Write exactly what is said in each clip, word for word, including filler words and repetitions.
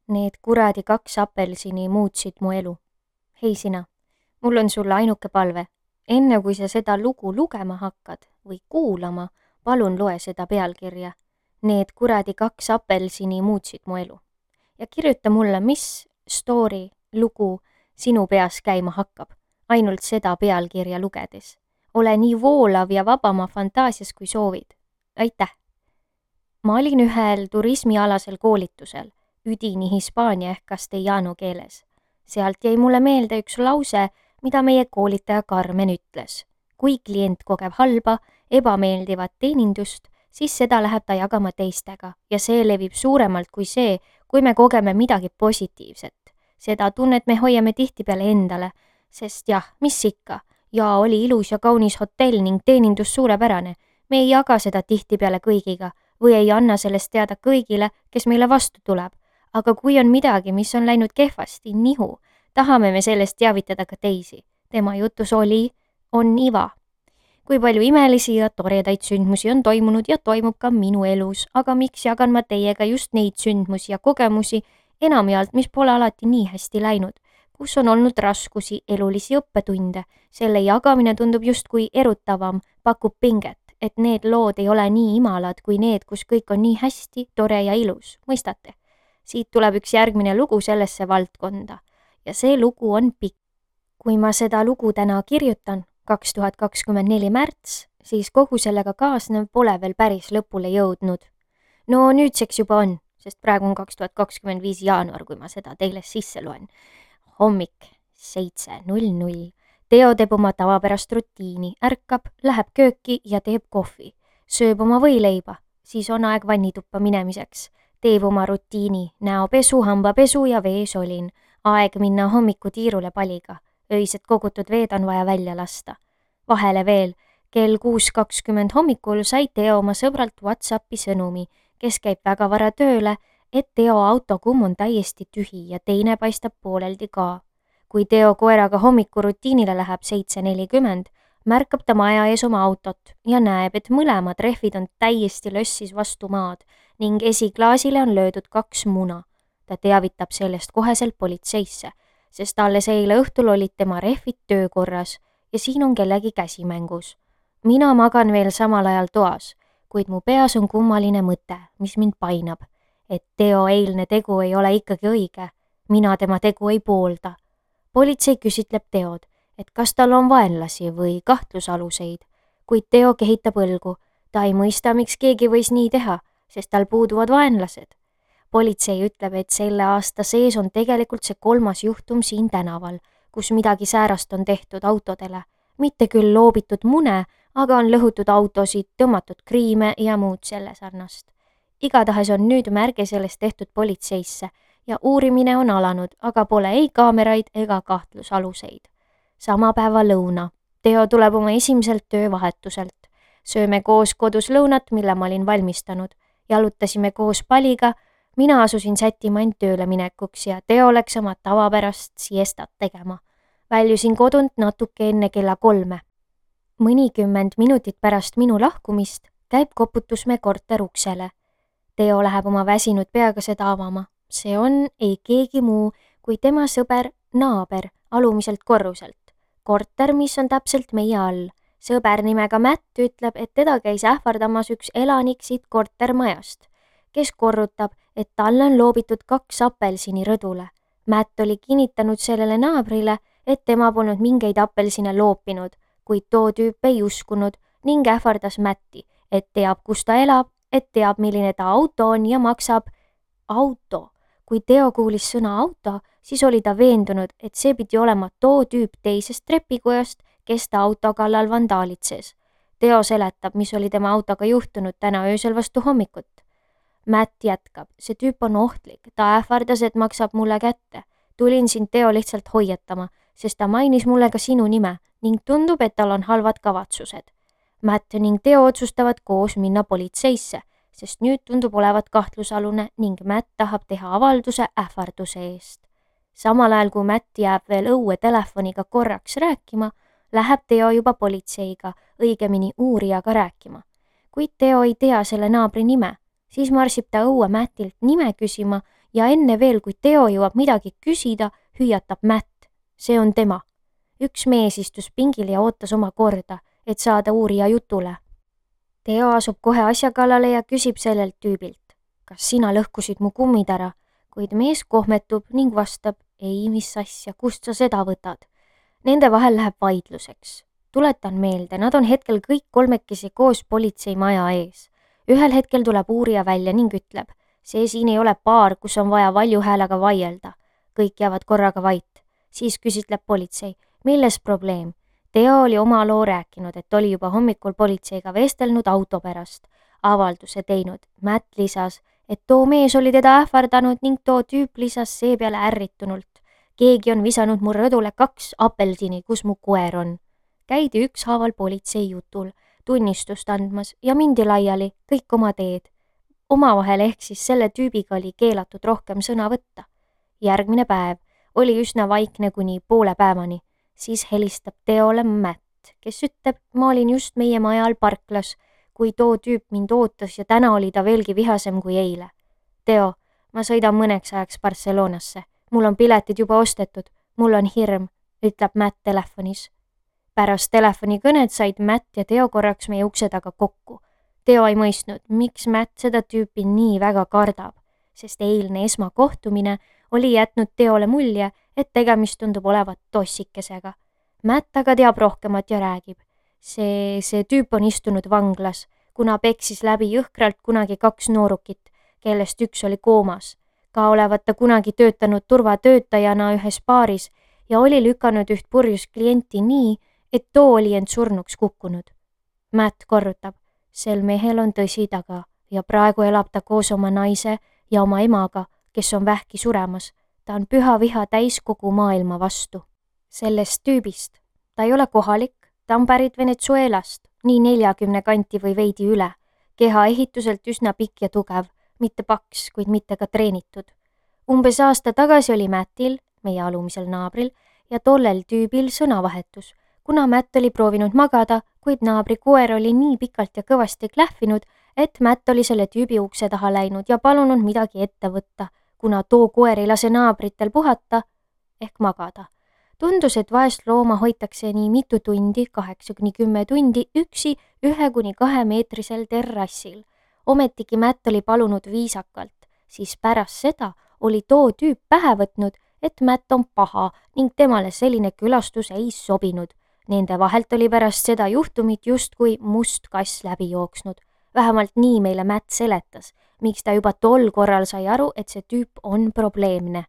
Need kuradi kaks apelsini muutsid mu elu. Hei sina, mul on sulle ainuke palve. Enne kui sa seda lugu lugema hakkad või kuulama, palun loe seda pealkirja. Need kuradi kaks apelsini muutsid mu elu. Ja kirjuta mulle, mis story, lugu sinu peas käima hakkab, ainult seda pealkirja lugedes. Ole nii voolav ja vaba oma fantaasias, kui soovid. Aitäh! Ma olin ühel turismialasel koolitusel, üdini hispaania ehk castellano keeles. Sealt jäi mulle meelde üks lause, mida meie koolitaja Carmen ütles. Kui klient kogeb halba, ebameeldivat teenindust, siis seda läheb ta jagama teistega ja see levib suuremalt kui see, kui me kogeme midagi positiivset. Seda tunnet me hoiame tihtipeale endale, sest jah, mis ikka, ja oli ilus ja kaunis hotell ning teenindus suurepärane. Me ei jaga seda tihtipeale kõigiga või ei anna sellest teada kõigile, kes meile vastu tuleb. Aga kui on midagi, mis on läinud kehvasti, nihu, tahame me sellest teavitada ka teisi. Tema jutus oli, on iva. Kui palju imelisi ja toredaid sündmusi on toimunud ja toimub ka minu elus, aga miks jagan ma teiega just neid sündmusi ja kogemusi enamjaolt, mis pole alati nii hästi läinud, kus on olnud raskusi, elulisi õppetunde. Selle jagamine tundub justkui erutavam, pakub pinget, et need lood ei ole nii imalad kui need, kus kõik on nii hästi, tore ja ilus, mõistate? Siit tuleb üks järgmine lugu sellesse valdkonda ja see lugu on pikk. Kui ma seda lugu täna kirjutan, kaks tuhat kakskümmend neli märts, siis kogu sellega kaasnev pole veel päris lõpule jõudnud. No nüüdseks juba on, sest praegu on kaks tuhat kakskümmend viis jaanuar, kui ma seda teile sisse loen. Hommik, seitse null null. Teo teeb oma tavapärast rutiini, ärkab, läheb kööki ja teeb kohvi. Sööb oma võileiba, siis on aeg vannituppa minemiseks. Teeb oma rutiini, näopesu, hambapesu ja veesolin. Aeg minna hommikutiirule paliga. Öised kogutud veed on vaja välja lasta. Vahele veel, kell kuus kakskümmend hommikul sai Teo oma sõbralt WhatsAppi sõnumi, kes käib väga vara tööle, et Teo autokumm on täiesti tühi ja teine paistab pooleldi ka. Kui Teo koeraga hommikurutiinile läheb seitse nelikümmend, märkab ta maja ees oma autot ja näeb, et mõlemad rehvid on täiesti lössis vastu maad ning esiklaasile on löödud kaks muna. Ta teavitab sellest koheselt politseisse, sest alles eile õhtul olid tema rehvid töökorras ja siin on kellegi käsimängus. Mina magan veel samal ajal toas, kuid mu peas on kummaline mõte, mis mind painab, et Teo eilne tegu ei ole ikkagi õige. Mina tema tegu ei poolda. Politsei küsitleb Teod, et kas tal on vaenlasi või kahtlusaluseid, kuid Teo kehitab õlgu. Ta ei mõista, miks keegi võis nii teha, sest tal puuduvad vaenlased. Politsei ütleb, et selle aasta sees on tegelikult see kolmas juhtum siin tänaval, kus midagi säärast on tehtud autodele. Mitte küll loobitud mune, aga on lõhutud autosid, tõmmatud kriime ja muud selle sarnast. Igatahes on nüüd märge sellest tehtud politseisse ja uurimine on alanud, aga pole ei kaameraid ega kahtlusaluseid. Sama päeva lõuna. Teo tuleb oma esimeselt töövahetuselt. Sööme koos kodus lõunat, mille ma olin valmistanud. Jalutasime koos paliga. Mina asusin sättima end tööle minekuks ja Teo läks oma tavapärast siestat tegema. Väljusin kodunt natuke enne kella kolme. Mõnikümmend minutit pärast minu lahkumist käib koputus me korter uksele. Teo läheb oma väsinud peaga seda avama. See on ei keegi muu kui tema sõber, naaber alumiselt korruselt. Korter, mis on täpselt meie all. Sõber nimega Matt ütleb, et teda käis ähvardamas üks elanik siit kortermajast, kes korrutab, et talle on loobitud kaks apelsini rõdule. Matt oli kinnitanud sellele naabrile, et tema polnud mingeid apelsine loopinud, kuid too tüüp ei uskunud ning ähvardas Matti, et teab, kus ta elab, et teab, milline ta auto on ja maksab auto. Kui Teo kuulis sõna auto, siis oli ta veendunud, et see pidi olema too tüüp teisest trepikojast, kes ta auto kallal vandaalitses. Teo seletab, mis oli tema autoga juhtunud täna öösel vastu hommikut. Matt jätkab, see tüüp on ohtlik, ta ähvardas, et maksab mulle kätte. Tulin sind Teo lihtsalt hoiatama, sest ta mainis mulle ka sinu nime ning tundub, et tal on halvad kavatsused. Matt ning Teo otsustavad koos minna politseisse, sest nüüd tundub olevat kahtlusalune ning Matt tahab teha avalduse ähvarduse eest. Samal ajal, kui Matt jääb veel õue telefoniga korraks rääkima, läheb Teo juba politseiga, õigemini uurijaga rääkima. Kuid Teo ei tea selle naabri nime, siis marsib ta õue Mattilt nime küsima ja enne veel, kui Teo jõuab midagi küsida, hüüatab Matt. See on tema. Üks mees istus pingil ja ootas oma korda, et saada uurija jutule. Teo asub kohe asja kallale ja küsib sellelt tüübilt. Kas sina lõhkusid mu kummid ära? Kuid mees kohmetub ning vastab, ei, mis asja, kust sa seda võtad? Nende vahel läheb vaidluseks. Tuletan meelde, nad on hetkel kõik kolmekesi koos politseimaja ees. Ühel hetkel tuleb uurija välja ning ütleb, see siin ei ole baar, kus on vaja valju häälega vaielda. Kõik jäävad korraga vait. Siis küsitleb politsei, milles probleem? Teo oli oma loo rääkinud, et oli juba hommikul politseiga vestelnud auto pärast. Avalduse teinud. Matt lisas, et too mees oli teda ähvardanud ning too tüüp lisas seepeale ärritunult. Keegi on visanud mu rõdule kaks apelsini, kus mu koer on. Käidi ükshaaval politsei jutul, tunnistust andmas ja mindi laiali kõik oma teed. Omavahel ehk siis selle tüübiga oli keelatud rohkem sõna võtta. Järgmine päev oli üsna vaikne kuni poole päevani. Siis helistab Teole Matt, kes ütleb, ma olin just meie maja all parklas, kui too tüüp mind ootas ja täna oli ta veelgi vihasem kui eile. Teo, ma sõidan mõneks ajaks Barcelonasse. Mul on piletid juba ostetud. Mul on hirm, ütleb Matt telefonis. Pärast telefonikõned said Matt ja Teo korraks meie ukse taga kokku. Teo ei mõistnud, miks Matt seda tüüpi nii väga kardab, sest eilne esmakohtumine oli jätnud Teole mulje, et tegemist tundub olevat tossikesega. Matt aga teab rohkemat ja räägib. See, see tüüp on istunud vanglas, kuna peksis läbi jõhkralt kunagi kaks noorukit, kellest üks oli koomas. Ka olevat ta kunagi töötanud turvatöötajana ühes baaris ja oli lükanud üht purjus klienti nii, et too oli end surnuks kukkunud. Matt korrutab, sel mehel on tõsi taga ja praegu elab ta koos oma naise ja oma emaga, kes on vähki suremas. Ta on püha viha täis kogu maailma vastu. Sellest tüübist. Ta ei ole kohalik, ta on pärit Venezuelast, nii neljakümne kanti või veidi üle. Keha ehituselt üsna pikk ja tugev, mitte paks, kuid mitte ka treenitud. Umbes aasta tagasi oli Mattil, meie alumisel naabril, ja tollel tüübil sõnavahetus, kuna Matt oli proovinud magada, kuid naabri koer oli nii pikalt ja kõvasti klähvinud, et Matt oli selle tüübi ukse taha läinud ja palunud midagi ette võtta, kuna too koer ei lase naabritel puhata ehk magada. Tundus, et vaest looma hoitakse nii mitu tundi, kaheksa kuni kümme tundi, üksi ühe kuni kahe meetrisel terrassil. Ometigi Matt oli palunud viisakalt, siis pärast seda oli too tüüp pähe võtnud, et Matt on paha ning temale selline külastus ei sobinud. Nende vahelt oli pärast seda juhtumit justkui must kass läbi jooksnud. Vähemalt nii meile Matt seletas, miks ta juba tol korral sai aru, et see tüüp on probleemne.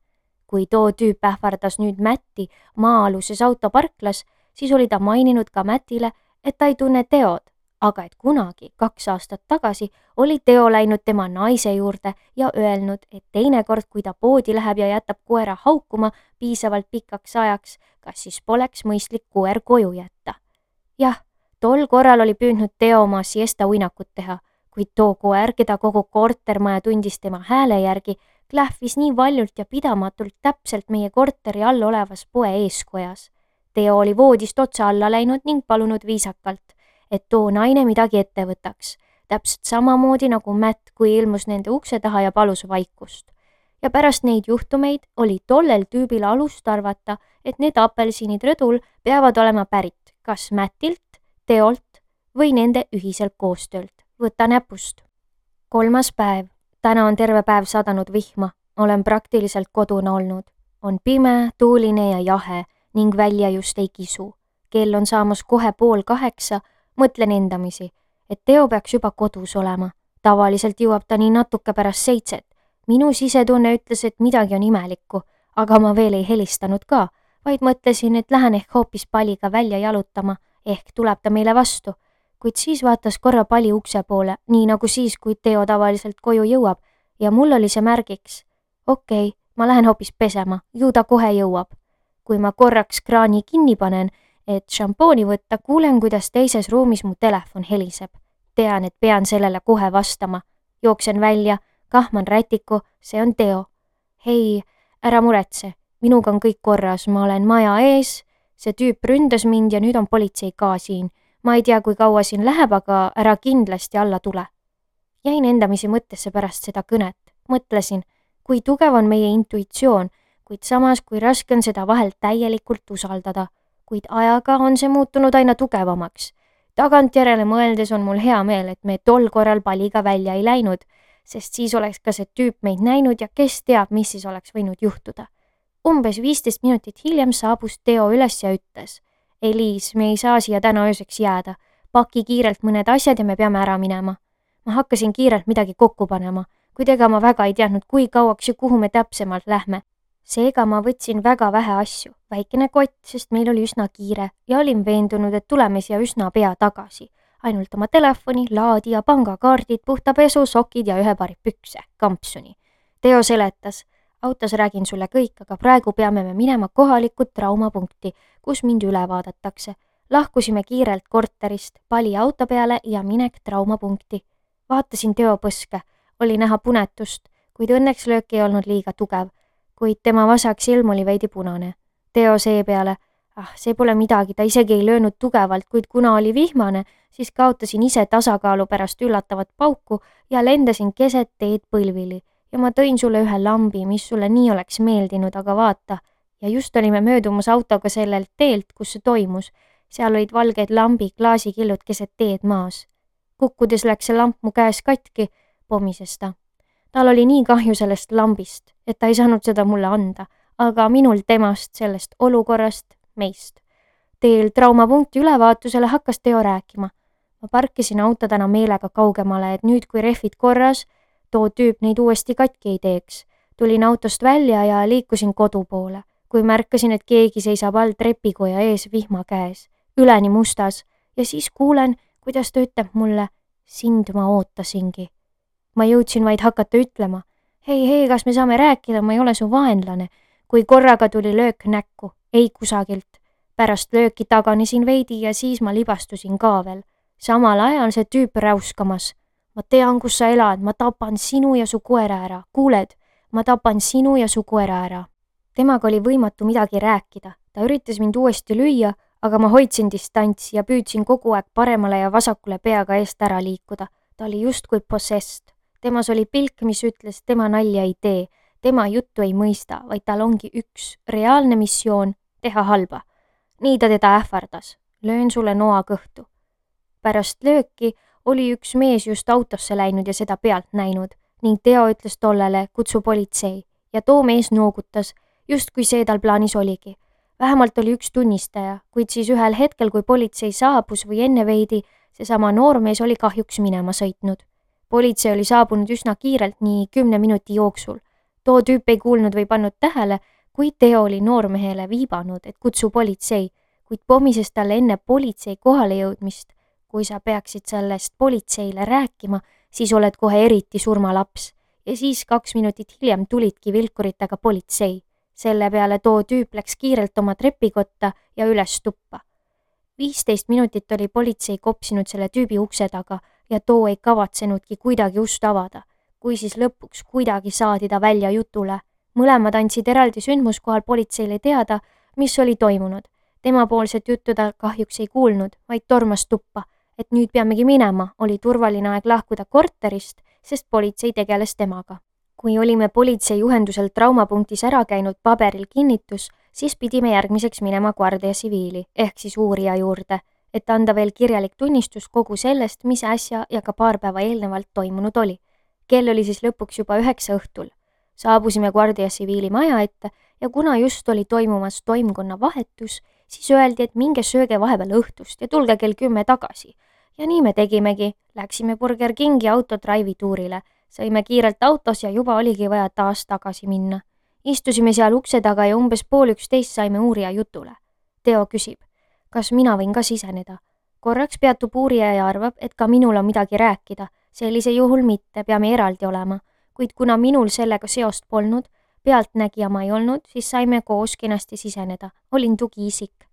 Kui too tüüp ähvardas nüüd Matti maa-aluses autoparklas, siis oli ta maininud ka Mattile, et ta ei tunne Teod, aga et kunagi, kaks aastat tagasi, oli Teo läinud tema naise juurde ja öelnud, et teinekord, kui ta poodi läheb ja jätab koera haukuma piisavalt pikaks ajaks, kas siis poleks mõistlik koer koju jätta. Jah, tol korral oli püüdnud Teo oma siesta uinakut teha, kuid too koer, keda kogu kortermaja tundis tema hääle järgi, klähvis nii valjult ja pidamatult täpselt meie korteri all olevas poe eeskojas. Teo oli voodist otsa alla läinud ning palunud viisakalt, et too naine midagi ette võtaks, täpselt samamoodi nagu Matt, kui ilmus nende ukse taha ja palus vaikust. Ja pärast neid juhtumeid oli tollel tüübil alust arvata, et need apelsinid rõdul peavad olema pärit kas Mattilt, Teolt või nende ühiselt koostöölt. Võta näpust. Kolmas päev. Täna on terve päev sadanud vihma. Olen praktiliselt kodune olnud. On pime, tuuline ja jahe ning välja just ei kisu. Kell on saamas kohe pool kaheksa. Mõtlen endamisi, et Teo peaks juba kodus olema. Tavaliselt jõuab ta nii natuke pärast seitset. Minu sisetunne ütles, et midagi on imelikku, aga ma veel ei helistanud ka, vaid mõtlesin, et lähen ehk hoopis Paliga välja jalutama, ehk tuleb ta meile vastu. Kuid siis vaatas korra Pali ukse poole, nii nagu siis, kui Teo tavaliselt koju jõuab, ja mul oli see märgiks. Okei, ma lähen hoopis pesema, ju ta kohe jõuab. Kui ma korraks kraani kinni panen, et šampooni võtta, kuulen, kuidas teises ruumis mu telefon heliseb. Tean, et pean sellele kohe vastama. Jooksen välja, kahman rätiku, see on Teo. Hei, ära muretse, minuga on kõik korras, ma olen maja ees, see tüüp ründas mind ja nüüd on politsei ka siin. Ma ei tea, kui kaua siin läheb, aga ära kindlasti alla tule. Jäin endamisi mõttesse pärast seda kõnet. Mõtlesin, kui tugev on meie intuitsioon, kuid samas kui raske on seda vahel täielikult usaldada, kuid ajaga on see muutunud aina tugevamaks. Tagantjärele mõeldes on mul hea meel, et me tol korral paliga välja ei läinud, sest siis oleks ka see tüüp meid näinud ja kes teab, mis siis oleks võinud juhtuda. Umbes viisteist minutit hiljem saabus Teo üles ja ütles: Eliis, me ei saa siia täna ööseks jääda. Paki kiirelt mõned asjad ja me peame ära minema. Ma hakkasin kiirelt midagi kokku panema, kuid ega ma väga ei teadnud, kui kauaks ja kuhu me täpsemalt lähme. Seega ma võtsin väga vähe asju, väikene kott, sest meil oli üsna kiire ja olin veendunud, et tuleme siia üsna pea tagasi. Ainult oma telefoni, laadija, pangakaardid, puhta pesu, sokid ja ühe paari pükse, kampsuni. Teo seletas: autos räägin sulle kõik, aga praegu peame me minema kohalikku traumapunkti, kus mind üle vaadatakse. Lahkusime kiirelt korterist, pali auto peale ja minek traumapunkti. Vaatasin Teo põske, oli näha punetust, kuid õnneks löök ei olnud liiga tugev, kuid tema vasak silm oli veidi punane. Teo seepeale: ah, see pole midagi, ta isegi ei löönud tugevalt, kuid kuna oli vihmane, siis kaotasin ise tasakaalu pärast üllatavat pauku ja lendasin keset teed põlvili. Ja ma tõin sulle ühe lambi, mis sulle nii oleks meeldinud, aga vaata. Ja just olime möödumas autoga sellelt teelt, kus see toimus. Seal olid valged lambi klaasikillud keset teed maas. Kukkudes läks see lamp mu käes katki, pomises ta. Tal oli nii kahju sellest lambist, et ta ei saanud seda mulle anda, aga minul temast, sellest olukorrast, meist. Teel traumapunkti ülevaatusele hakkas Teo rääkima. Ma parkisin auto täna meelega kaugemale, et nüüd kui rehvid korras, too tüüp neid uuesti katki ei teeks. Tulin autost välja ja liikusin kodu poole, kui märkasin, et keegi seisab all trepikoja ees vihma käes, üleni mustas, ja siis kuulen, kuidas ta ütleb mulle: sind ma ootasingi. Ma jõudsin vaid hakata ütlema: hei, hei, kas me saame rääkida, ma ei ole su vaenlane, kui korraga tuli löök näkku, ei kusagilt. Pärast lööki taganesin veidi ja siis ma libastusin ka veel. Samal ajal see tüüp räuskamas: ma tean, kus sa elad, ma tapan sinu ja su koera ära, kuuled, ma tapan sinu ja su koera ära. Temaga oli võimatu midagi rääkida, ta üritas mind uuesti lüüa, aga ma hoidsin distantsi ja püüdsin kogu aeg paremale ja vasakule peaga eest ära liikuda. Ta oli justkui possessed. Temas oli pilk, mis ütles, tema nalja ei tee, tema juttu ei mõista, vaid tal ongi üks reaalne missioon teha halba. Nii ta teda ähvardas: löön sulle noa kõhtu. Pärast lööki oli üks mees just autosse läinud ja seda pealt näinud ning Teo ütles tollele: kutsu politsei, ja too mees noogutas, justkui see tal plaanis oligi. Vähemalt oli üks tunnistaja, kuid siis ühel hetkel, kui politsei saabus või enne veidi, seesama noormees oli kahjuks minema sõitnud. Politsei oli saabunud üsna kiirelt nii kümne minuti jooksul. Too tüüp ei kuulnud või pannud tähele, kui Teo oli noormehele viibanud, et kutsu politsei, kuid pomises talle enne politsei kohale jõudmist: kui sa peaksid sellest politseile rääkima, siis oled kohe eriti surmalaps. Ja siis kaks minutit hiljem tulidki vilkuritega politsei. Selle peale too tüüp läks kiirelt oma trepikotta ja üles tuppa. viisteist minutit oli politsei kopsinud selle tüübi ukse taga ja too ei kavatsenudki kuidagi ust avada, kui siis lõpuks kuidagi saadi ta välja jutule. Mõlemad andsid eraldi sündmuskohal politseile teada, mis oli toimunud. Temapoolset juttu ta kahjuks ei kuulnud, vaid tormas tuppa, et nüüd peamegi minema, oli turvaline aeg lahkuda korterist, sest politsei tegeles temaga. Kui olime politsei juhendusel traumapunktis ära käinud paberil kinnitus, siis pidime järgmiseks minema Guardia Civiili ehk siis uurija juurde, et anda veel kirjalik tunnistus kogu sellest, mis äsja ja ka paar päeva eelnevalt toimunud oli. Kell oli siis lõpuks juba üheksa õhtul. Saabusime Guardia Civiili maja ette ja kuna just oli toimumas toimkonna vahetus, siis öeldi, et minge sööge vahepeal õhtust ja tulge kell kümme tagasi. Ja nii me tegimegi, läksime Burger Kingi autodrive'i tuurile, sõime kiirelt autos ja juba oligi vaja taas tagasi minna. Istusime seal ukse taga ja umbes pool üksteist saime uurija jutule. Teo küsib: kas mina võin ka siseneda? Korraks peatub uurija ja arvab, et ka minul on midagi rääkida, sellise juhul mitte, peame eraldi olema, kuid kuna minul sellega seost polnud, pealtnägija ma ei olnud, siis saime koos kenasti siseneda, olin tugiisik.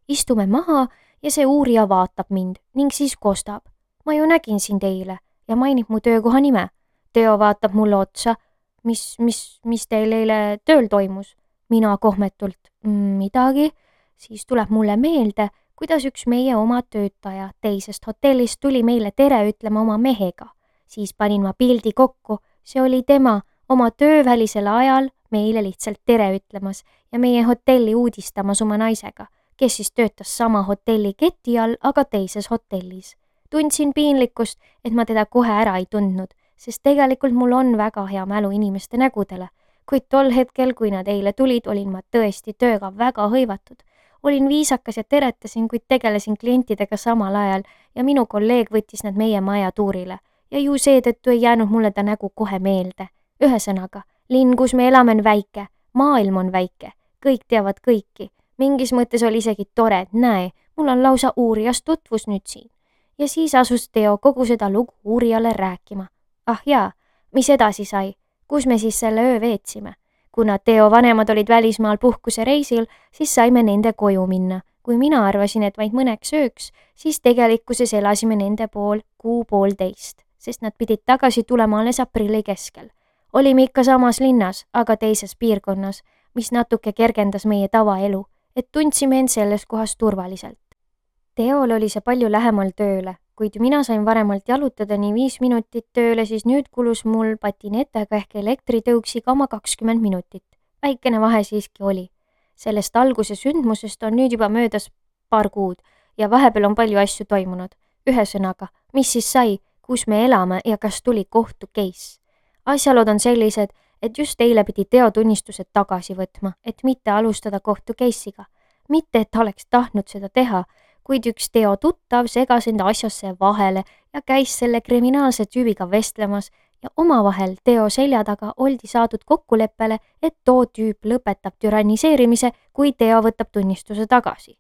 Istume maha ja see uurija vaatab mind ning siis kostab: ma ju nägin sind eile ja mainib mu töökoha nime. Teo vaatab mulle otsa: mis, mis, mis teil eile tööl toimus? Mina kohmetult: midagi. Siis tuleb mulle meelde, kuidas üks meie oma töötaja teisest hotellist tuli meile tere ütlema oma mehega. Siis panin ma pildi kokku, see oli tema, oma töövälisel ajal meile lihtsalt tere ütlemas ja meie hotelli uudistamas oma naisega, kes siis töötas sama hotelli keti all, aga teises hotellis. Tundsin piinlikkust, et ma teda kohe ära ei tundnud, sest tegelikult mul on väga hea mälu inimeste nägudele, kuid tol hetkel, kui nad eile tulid, olin ma tõesti tööga väga hõivatud. Olin viisakas ja teretasin, kuid tegelesin klientidega samal ajal ja minu kolleeg võttis nad meie maja tuurile ja ju seetõttu ei jäänud mulle ta nägu kohe meelde. Ühesõnaga, linn, kus me elame, on väike, maailm on väike, kõik teavad kõiki. Mingis mõttes oli isegi tore, et näe, mul on lausa uurijas tutvus nüüd siin. Ja siis asus Teo kogu seda lugu uurijale rääkima. Ah jaa, mis edasi sai? Kus me siis selle öö veetsime? Kuna Teo vanemad olid välismaal puhkuse reisil, siis saime nende koju minna. Kui mina arvasin, et vaid mõneks ööks, siis tegelikkuses elasime nende pool kuu poolteist, sest nad pidid tagasi tulema alles aprilli keskel. Olime ikka samas linnas, aga teises piirkonnas, mis natuke kergendas meie tavaelu, et tundsime end selles kohas turvaliselt. Teol oli see palju lähemal tööle, kuid mina sain varemalt jalutada nii viis minutit tööle, siis nüüd kulus mul patinetega ehk elektritõuksiga oma kakskümmend minutit. Väikene vahe siiski oli. Sellest alguse sündmusest on nüüd juba möödas paar kuud ja vahepeal on palju asju toimunud. Ühesõnaga, mis siis sai, kus me elame ja kas tuli kohtu case? Asjalod on sellised, et just eile pidi Teo tunnistused tagasi võtma, et mitte alustada kohtu case'iga. Mitte, et ta oleks tahtnud seda teha, kuid üks Teo tuttav segas enda asjasse vahele ja käis selle kriminaalse tüübiga vestlemas ja omavahel Teo selja taga oldi saadud kokkuleppele, et too tüüp lõpetab türanniseerimise, kui Teo võtab tunnistuse tagasi.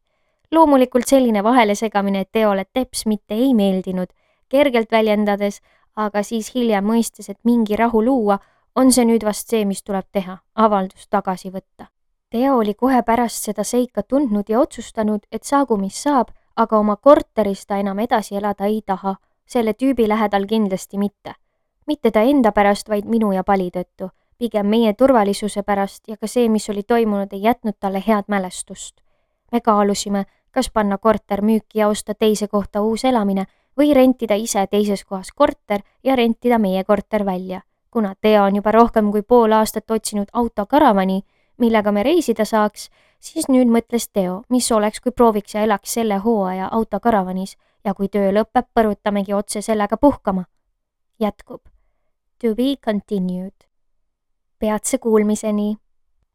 Loomulikult selline vahelesegamine Teole teps mitte ei meeldinud, kergelt väljendades, aga siis hiljem mõistes, et mingi rahu luua, on see nüüd vast see, mis tuleb teha, avaldus tagasi võtta. Teo oli kohe pärast seda seika tundnud ja otsustanud, et saagu mis saab, aga oma korteris ta enam edasi elada ei taha, selle tüübi lähedal kindlasti mitte. Mitte ta enda pärast, vaid minu ja Pali tõttu, pigem meie turvalisuse pärast ja ka see, mis oli toimunud, ei jätnud talle head mälestust. Me kaalusime, kas panna korter müüki ja osta teise kohta uus elamine või rentida ise teises kohas korter ja rentida meie korter välja. Kuna Teo on juba rohkem kui pool aastat otsinud autokaravani, millega me reisida saaks, siis nüüd mõtles Teo, mis oleks, kui prooviks ja elaks selle hooaja autokaravanis ja kui töö lõpeb, põrutamegi otse sellega puhkama. Jätkub. To be continued. Peatse kuulmiseni.